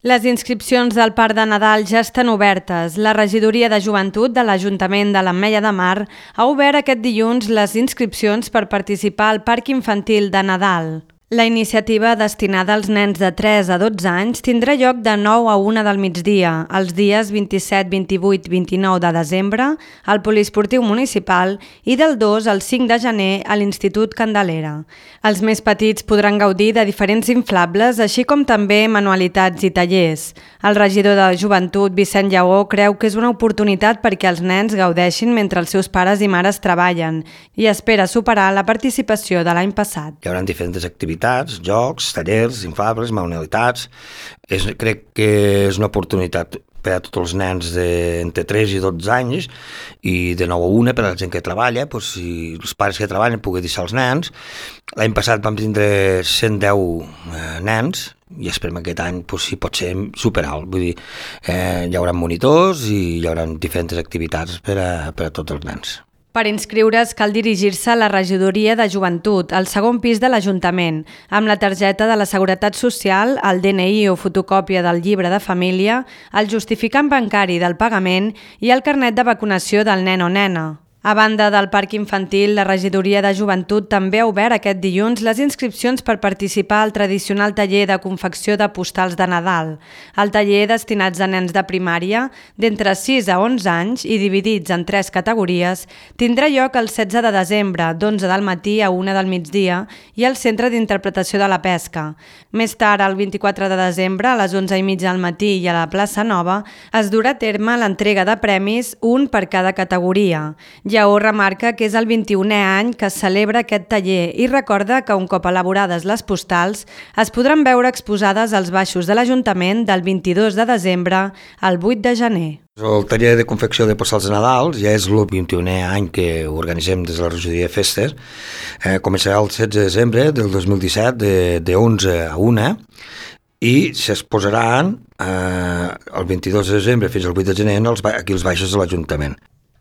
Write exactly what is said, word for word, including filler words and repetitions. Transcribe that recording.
Les inscripcions del Parc de Nadal ja estan obertes. La Regidoria de Joventut de l'Ajuntament de l'Ametlla de Mar ha obert aquest dilluns les inscripcions per participar al Parc Infantil de Nadal. La iniciativa destinada als nens de tres a dotze anys tindrà lloc de nou a una del migdia, els dies vint-i-set, vint-i-vuit i vint-i-nou de desembre al Poliesportiu Municipal i del dos al cinc de gener a l'Institut Candelera. Els més petits podran gaudir de diferents inflables, així com també manualitats i tallers. El regidor de Joventut, Vicent Lleó, creu que és una oportunitat perquè els nens gaudeixin mentre els seus pares i mares treballen i espera superar la participació de l'any passat. Hi haurà diferents activitats, jocs, tallers, inflables, manualitats. És, crec que és una oportunitat per a tots els nens d'entre tres i dotze anys i de nou a una per a la gent que treballa, doncs, si els pares que treballen poden deixar els nens. L'any passat vam tindre cent deu eh, nens i esperem aquest any doncs, si pot ser superalt. Vull dir, eh, hi haurà monitors i hi haurà diferents activitats per a, per a tots els nens. Per inscriure's cal dirigir-se a la Regidoria de Joventut, al segon pis de l'Ajuntament, amb la targeta de la Seguretat Social, el D N I o fotocòpia del llibre de família, el justificant bancari del pagament i el carnet de vacunació del nen o nena. A banda del Parc Infantil, la Regidoria de Joventut també ha obert aquest dilluns les inscripcions per participar al tradicional taller de confecció de postals de Nadal. El taller, destinats a nens de primària, d'entre sis a onze anys i dividits en tres categories, tindrà lloc el setze de desembre, d'onze del matí a una del migdia, i al Centre d'Interpretació de la Pesca. Més tard, el vint-i-quatre de desembre, a les onze i mitja del matí i a la Plaça Nova, es durà a terme l'entrega de premis, un per cada categoria. Lleó remarca que és el vint-i-unè any que es celebra aquest taller i recorda que un cop elaborades les postals es podran veure exposades als baixos de l'Ajuntament del vint-i-dos de desembre al vuit de gener. El taller de confecció de postals de Nadal ja és el vint-i-unè any que ho organitzem des de la Regidoria de Festes. Eh, començarà el setze de desembre del dos mil disset de, de onze a una i s'exposaran eh, el vint-i-dos de desembre fins al vuit de gener aquí als baixos de l'Ajuntament.